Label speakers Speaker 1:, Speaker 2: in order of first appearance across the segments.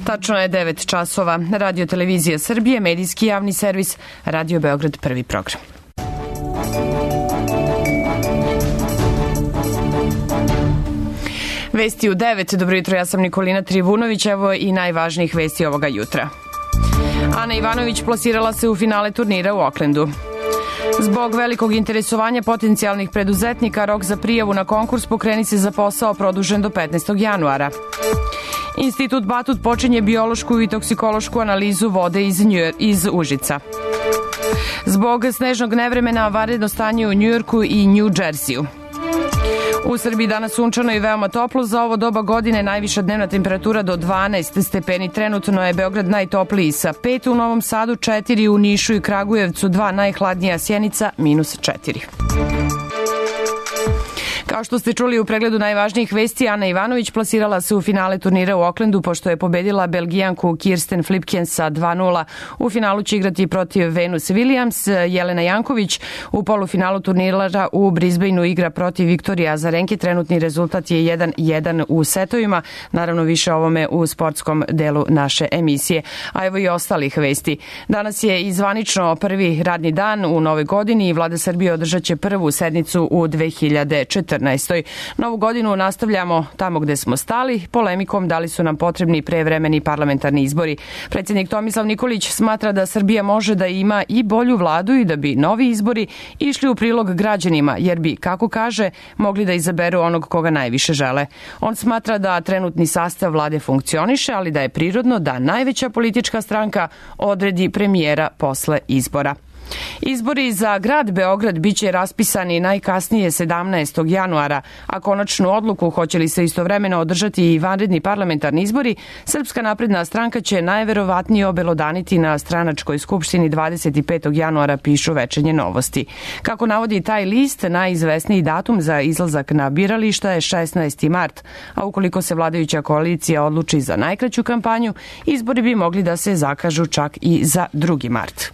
Speaker 1: Tačno je 9 časova. Radio Televizija Srbije, medijski javni servis, Radio Beograd, prvi program. Vesti u 9. Dobro jutro, ja sam Nikolina Trivunović, evo i najvažnijih vesti ovoga jutra. Ana Ivanović plasirala se u finale turnira u Oklendu. Zbog velikog interesovanja potencijalnih preduzetnika, rok za prijavu na konkurs Pokreni se za posao produžen do 15. januara. Institut Batut počinje biološku i toksikološku analizu vode iz Užica. Zbog snežnog nevremena, vanredno stanje u Njujorku i New Jerseyu. U Srbiji danas sunčano i veoma toplo. Za ovo doba godine najviša dnevna temperatura do 12 stepeni. Trenutno je Beograd najtopliji sa 5, u Novom Sadu 4, u Nišu i Kragujevcu 2, najhladnija Sjenica -4. Kao što ste čuli u pregledu najvažnijih vesti, Ana Ivanović plasirala se u finale turnira u Oklendu pošto je pobedila Belgijanku Kirsten Flipkens sa 2:0. U finalu će igrati protiv Venus Williams. Jelena Janković u polufinalu turnira u Brisbaneu igra protiv Viktorije Azarenke. Trenutni rezultat je 1:1 u setovima. Naravno više o ovome u sportskom delu naše emisije. A evo i ostalih vesti. Danas je i zvanično prvi radni dan u novoj godini i Vlada Srbije održat će prvu sednicu u 2014. Novu godinu nastavljamo tamo gde smo stali, polemikom da li su nam potrebni prevremeni parlamentarni izbori. Predsjednik Tomislav Nikolić smatra da Srbija može da ima i bolju vladu i da bi novi izbori išli u prilog građanima, jer bi, kako kaže, mogli da izaberu onog koga najviše žele. On smatra da trenutni sastav vlade funkcioniše, ali da je prirodno da najveća politička stranka odredi premijera posle izbora. Izbori za grad Beograd biće raspisani najkasnije 17. januara, a konačnu odluku hoće li se istovremeno održati i vanredni parlamentarni izbori, Srpska napredna stranka će najverovatnije obelodaniti na stranačkoj skupštini 25. januara, pišu Večernje novosti. Kako navodi taj list, najizvesniji datum za izlazak na birališta je 16. mart, a ukoliko se vladajuća koalicija odluči za najkraću kampanju, izbori bi mogli da se zakažu čak i za 2. mart.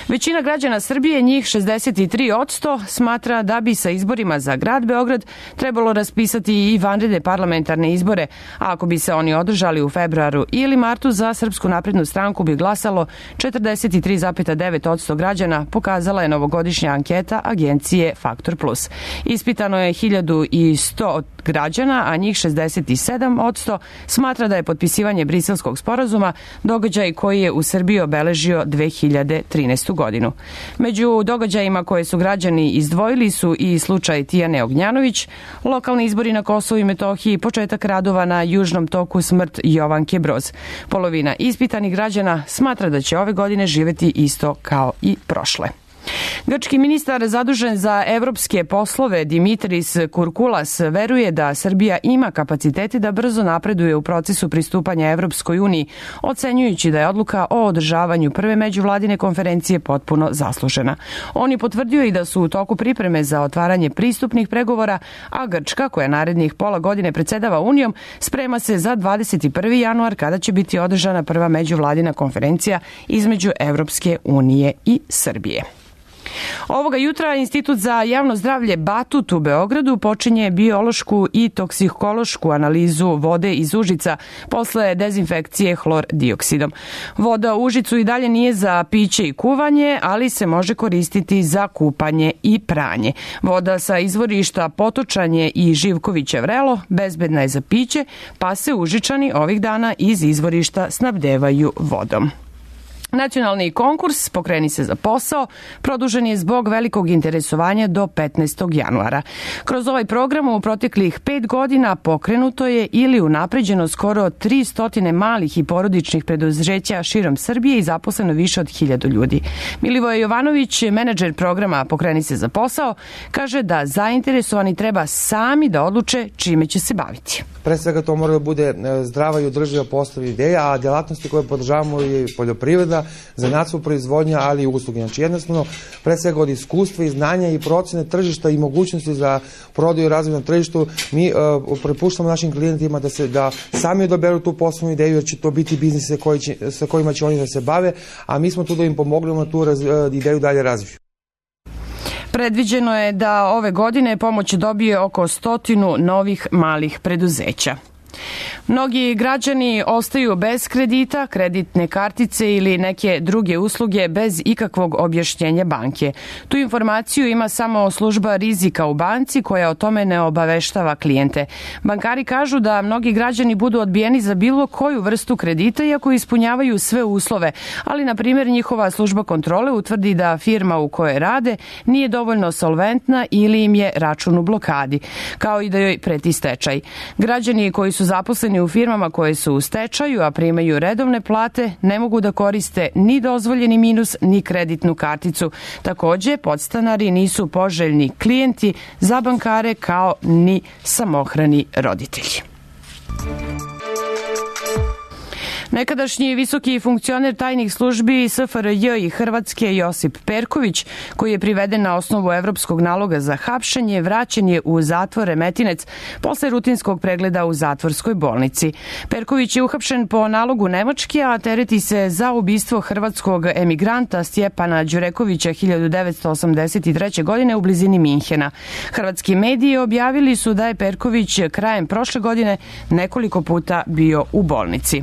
Speaker 1: Većina građana Srbije, njih 63%, smatra da bi sa izborima za grad Beograd trebalo raspisati i vanredne parlamentarne izbore, a ako bi se oni održali u februaru ili martu, za Srpsku naprednu stranku bi glasalo 43,9% građana, pokazala je novogodišnja anketa agencije Faktor Plus. Ispitano je 1100 građana, a njih 67% smatra da je potpisivanje Briselskog sporazuma događaj koji je u Srbiji obeležio 2013. godinu. Među događajima koje su građani izdvojili su i slučaj Tijane Ognjanović, lokalni izbori na Kosovu i Metohiji, početak radova na Južnom toku, smrt Jovanke Broz. Polovina ispitanih građana smatra da će ove godine živeti isto kao i prošle. Grčki ministar zadužen za evropske poslove Dimitris Kurkulas veruje da Srbija ima kapacitete da brzo napreduje u procesu pristupanja Evropskoj uniji, ocenjujući da je odluka o održavanju prve međuvladine konferencije potpuno zaslužena. On je potvrdio i da su u toku pripreme za otvaranje pristupnih pregovora, a Grčka, koja narednih pola godine predsedava Unijom, sprema se za 21. januar kada će biti održana prva međuvladina konferencija između Evropske unije i Srbije. Ovoga jutra Institut za javno zdravlje Batut u Beogradu počinje biološku i toksikološku analizu vode iz Užica posle dezinfekcije hlor dioksidom. Voda u Užicu i dalje nije za piće i kuvanje, ali se može koristiti za kupanje i pranje. Voda sa izvorišta Potočanje i Živkoviće Vrelo bezbedna je za piće, pa se Užičani ovih dana iz izvorišta snabdevaju vodom. Nacionalni konkurs Pokreni se za posao produžen je zbog velikog interesovanja do 15. januara. Kroz ovaj program u proteklih 5 godina pokrenuto je ili unapređeno skoro 300 malih i porodičnih preduzeća širom Srbije i zaposleno više od 1000 ljudi. Milivoje Jovanović, menadžer programa Pokreni se za posao, kaže da zainteresovani treba sami da odluče čime će se baviti.
Speaker 2: Pre svega to mora da bude zdrava i održiva poslovna ideja, a djelatnosti koje podržavamo je poljoprivreda, zanatstvo proizvodnja, ali i usluge. Znači jednostavno, pre svega od iskustva i znanja i procene tržišta i mogućnosti za prodaju i razvoj na tržištu, mi prepuštamo našim klijentima da sami odaberu tu poslovnu ideju, jer će to biti biznise sa kojima će oni da se bave, a mi smo tu da im pomognemo tu ideju dalje razviju.
Speaker 1: Predviđeno je da ove godine pomoć dobije oko 100 novih malih preduzeća. Mnogi građani ostaju bez kredita, kreditne kartice ili neke druge usluge bez ikakvog objašnjenja banke. Tu informaciju ima samo služba rizika u banci koja o tome ne obaveštava klijente. Bankari kažu da mnogi građani budu odbijeni za bilo koju vrstu kredita iako ispunjavaju sve uslove, ali na primjer njihova služba kontrole utvrdi da firma u kojoj rade nije dovoljno solventna ili im je račun u blokadi, kao i da joj preti stečaj. Građani koji su zaposleni u firmama koje su u stečaju, a primaju redovne plate, ne mogu da koriste ni dozvoljeni minus, ni kreditnu karticu. Takođe, podstanari nisu poželjni klijenti za bankare kao ni samohrani roditelji. Nekadašnji visoki funkcioner tajnih službi SFRJ i Hrvatske Josip Perković, koji je priveden na osnovu evropskog naloga za hapšenje, vraćen je u zatvor Remetinec posle rutinskog pregleda u zatvorskoj bolnici. Perković je uhapšen po nalogu Nemačke, a tereti se za ubistvo hrvatskog emigranta Stjepana Đurekovića 1983. godine u blizini Minhena. Hrvatski mediji objavili su da je Perković krajem prošle godine nekoliko puta bio u bolnici.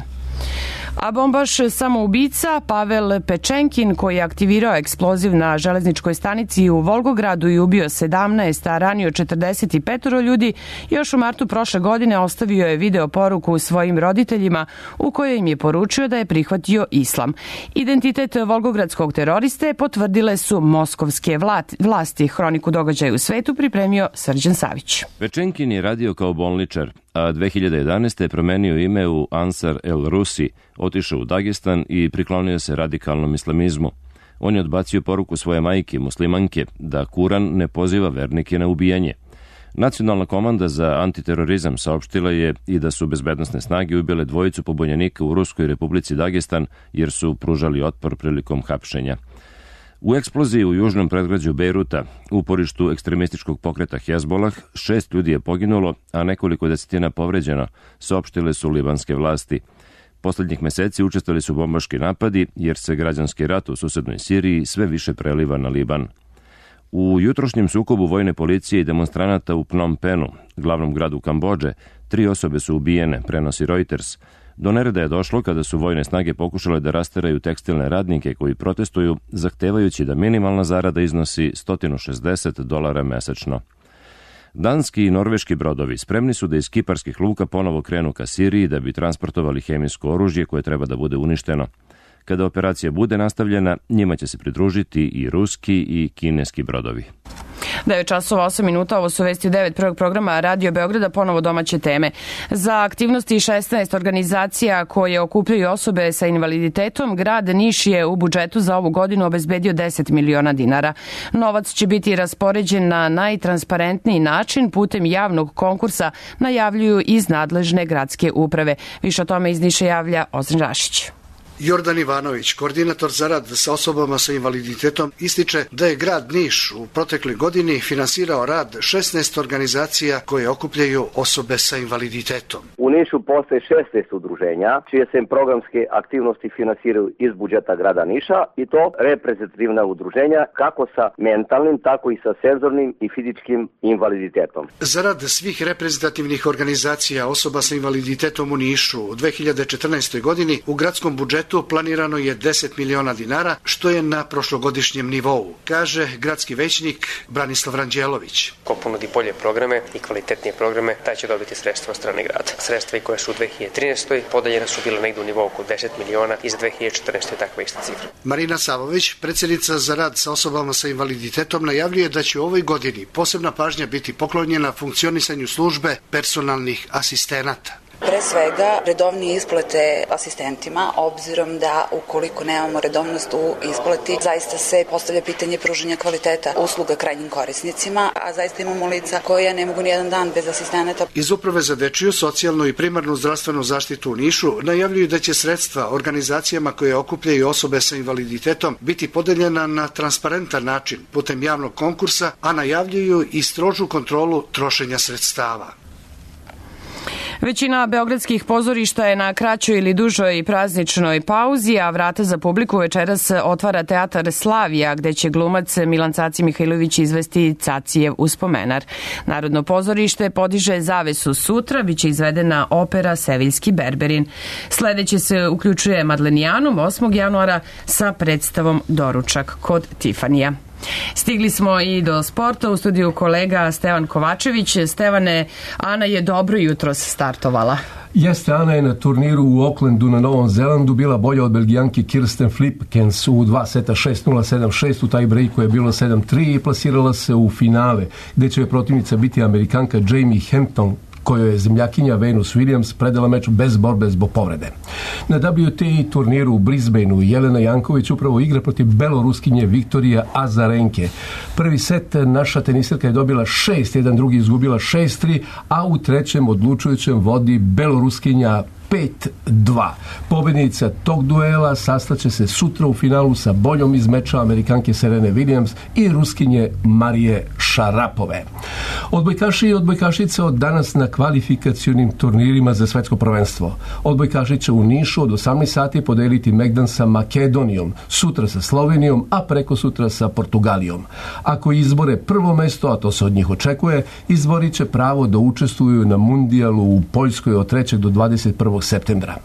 Speaker 1: A bombaš samoubica Pavel Pečenkin, koji je aktivirao eksploziv na železničkoj stanici u Volgogradu i ubio 17, a ranio 45 ljudi, još u martu prošle godine ostavio je video poruku svojim roditeljima u kojoj im je poručio da je prihvatio islam. Identitet volgogradskog teroriste potvrdile su moskovske vlasti. Hroniku događaja u svetu pripremio Srđan Savić.
Speaker 3: Pečenkin je radio kao bolničar, a 2011. je promenio ime u Ansar el Rusi, otišao u Dagestan i priklonio se radikalnom islamizmu. On je odbacio poruku svoje majke, muslimanke, da Kuran ne poziva vernike na ubijanje. Nacionalna komanda za antiterorizam saopštila je i da su bezbednosne snage ubile dvojicu pobunjenika u Ruskoj republici Dagestan jer su pružali otpor prilikom hapšenja. U eksploziji u južnom predgrađu Bejruta, uporištu ekstremističkog pokreta Hezbolah, 6 ljudi je poginulo, a nekoliko desetina povređeno, saopštile su libanske vlasti. Poslednjih meseci učestvovali su bombaški napadi, jer se građanski rat u susednoj Siriji sve više preliva na Liban. U jutrošnjem sukobu vojne policije i demonstranata u Phnom Penhu, glavnom gradu Kambodže, 3 osobe su ubijene, prenosi Reuters. Do nereda je došlo kada su vojne snage pokušale da rasteraju tekstilne radnike koji protestuju, zahtevajući da minimalna zarada iznosi $160 mesečno. Danski i norveški brodovi spremni su da iz kiparskih luka ponovo krenu ka Siriji da bi transportovali hemijsko oružje koje treba da bude uništeno. Kada operacija bude nastavljena, njima će se pridružiti i ruski i kineski brodovi.
Speaker 1: 9 časova 8 minuta, ovo su vesti u 9 prvog programa Radio Beograda, ponovo domaće teme. Za aktivnosti 16 organizacija koje okupljaju osobe sa invaliditetom, grad Niš je u budžetu za ovu godinu obezbedio 10 miliona dinara. Novac će biti raspoređen na najtransparentniji način putem javnog konkursa, najavljuju iz nadležne gradske uprave. Više o tome iz Niša javlja Ozren Rašić.
Speaker 4: Jordan Ivanović, koordinator za rad sa osobama sa invaliditetom, ističe da je grad Niš u protekloj godini finansirao rad 16 organizacija koje okupljaju osobe sa invaliditetom.
Speaker 5: U Nišu postoje 16 udruženja čije se programske aktivnosti finansiraju iz budžeta grada Niša i to reprezentativna udruženja kako sa mentalnim, tako i sa senzornim i fizičkim invaliditetom.
Speaker 4: Za rad svih reprezentativnih organizacija osoba sa invaliditetom u Nišu u 2014. godini u gradskom budžetu planirano je 10 miliona dinara, što je na prošlogodišnjem nivou, kaže gradski većnik Branislav Ranđelović.
Speaker 6: Ko ponudi bolje programe i kvalitetnije programe, taj će dobiti sredstva od strane grada. Sredstva koje su u 2013. podeljena su bile negdje u nivou oko 10 miliona i za 2014. takva ista cifra.
Speaker 4: Marina Savović, predsjednica za rad sa osobama sa invaliditetom, najavljuje da će u ovoj godini posebna pažnja biti poklonjena funkcionisanju službe personalnih asistenata.
Speaker 7: Pre svega, redovnije isplate asistentima, obzirom da ukoliko nemamo redovnost u isplati, zaista se postavlja pitanje pružanja kvaliteta usluga krajnjim korisnicima, a zaista imamo lica koja ne mogu nijedan dan bez asistenata.
Speaker 4: Iz Uprave za dečiju, socijalnu i primarnu zdravstvenu zaštitu u Nišu najavljuju da će sredstva organizacijama koje okupljaju osobe sa invaliditetom biti podeljena na transparentan način putem javnog konkursa, a najavljuju i strožu kontrolu trošenja sredstava.
Speaker 1: Većina beogradskih pozorišta je na kraćoj ili dužoj prazničnoj pauzi, a vrata za publiku večeras otvara Teatar Slavija, gde će glumac Milan Caci Mihajlović izvesti Cacijev uspomenar. Narodno pozorište podiže zavesu sutra, biće izvedena opera Seviljski Berberin. Sledeće se uključuje Madlenijanum 8. januara sa predstavom Doručak kod Tifanija. Stigli smo i do sporta, u studiju kolega Stevan Kovačević. Stevane, Ana je dobro jutros startovala.
Speaker 8: Jeste, Ana je na turniru u Aucklandu na Novom Zelandu bila bolja od Belgijanke Kirsten Flipkens u 2 seta 6-0, 7-6, u taj breaku je bilo 7-3 i plasirala se u finale, gde će protivnica biti Amerikanka Jamie Hampton, kojoj je zemljakinja Venus Williams predala meč bez borbe zbog povrede. Na WTA turniru u Brisbaneu Jelena Janković upravo igra protiv beloruskinje Viktorija Azarenke. Prvi set naša tenisirka je dobila 6-1, drugi izgubila 6-3, a u trećem odlučujućem vodi beloruskinja 5-2. Pobednica tog duela sastaće se sutra u finalu sa boljom iz meča Amerikanke Serene Williams i Ruskinje Marije Šarapove. Odbojkaši i odbojkašice od danas na kvalifikacionim turnirima za svetsko prvenstvo. Odbojkaši će u Nišu od 18 sati podeliti megdan sa Makedonijom, sutra sa Slovenijom, a preko sutra sa Portugalijom. Ako izbore prvo mesto, a to se od njih očekuje, izborit će pravo da učestvuju na mundijalu u Poljskoj od 3. do 21. septembra.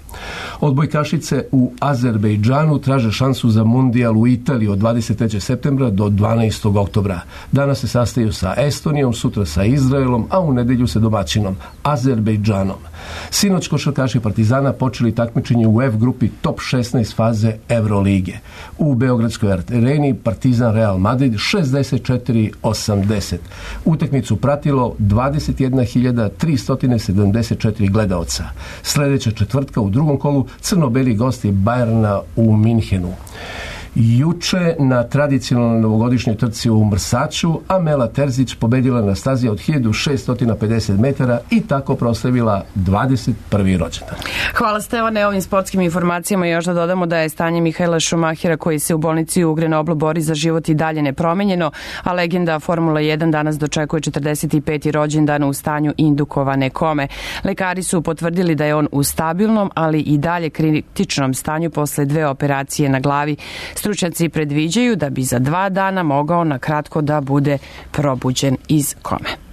Speaker 8: Odbojkašice u Azerbejdžanu traže šansu za mundijal u Italiji od 23. septembra do 12. oktobra. Danas se sastaju sa Estonijom, sutra sa Izraelom, a u nedelju sa domaćinom Azerbejdžanom. Sinoć košarkaši Partizana počeli takmičenje u F grupi top 16 faze Evrolige. U Beogradskoj areni Partizan Real Madrid 64-80. Utakmicu pratilo 21.374 gledaoca. Sledeća četvrtka u drugom kolu crno-beli gosti Bajerna u Minhenu. Juče na tradicionalnoj novogodišnjoj trci u Mrsaču Amela Terzić pobedila na stazi od 1650 metara i tako proslavila 21. rođendan.
Speaker 1: Hvala Stevane, ovim sportskim informacijama još da dodamo da je stanje Mihaela Šumahira koji se u bolnici u Grenoblu bori za život i dalje nepromenjeno, a legenda Formula 1 danas dočekuje 45. rođendan u stanju indukovane kome. Lekari su potvrdili da je on u stabilnom, ali i dalje kritičnom stanju posle 2 operacije na glavi. Stručnjaci predviđaju da bi za 2 dana mogao na kratko da bude probuđen iz kome.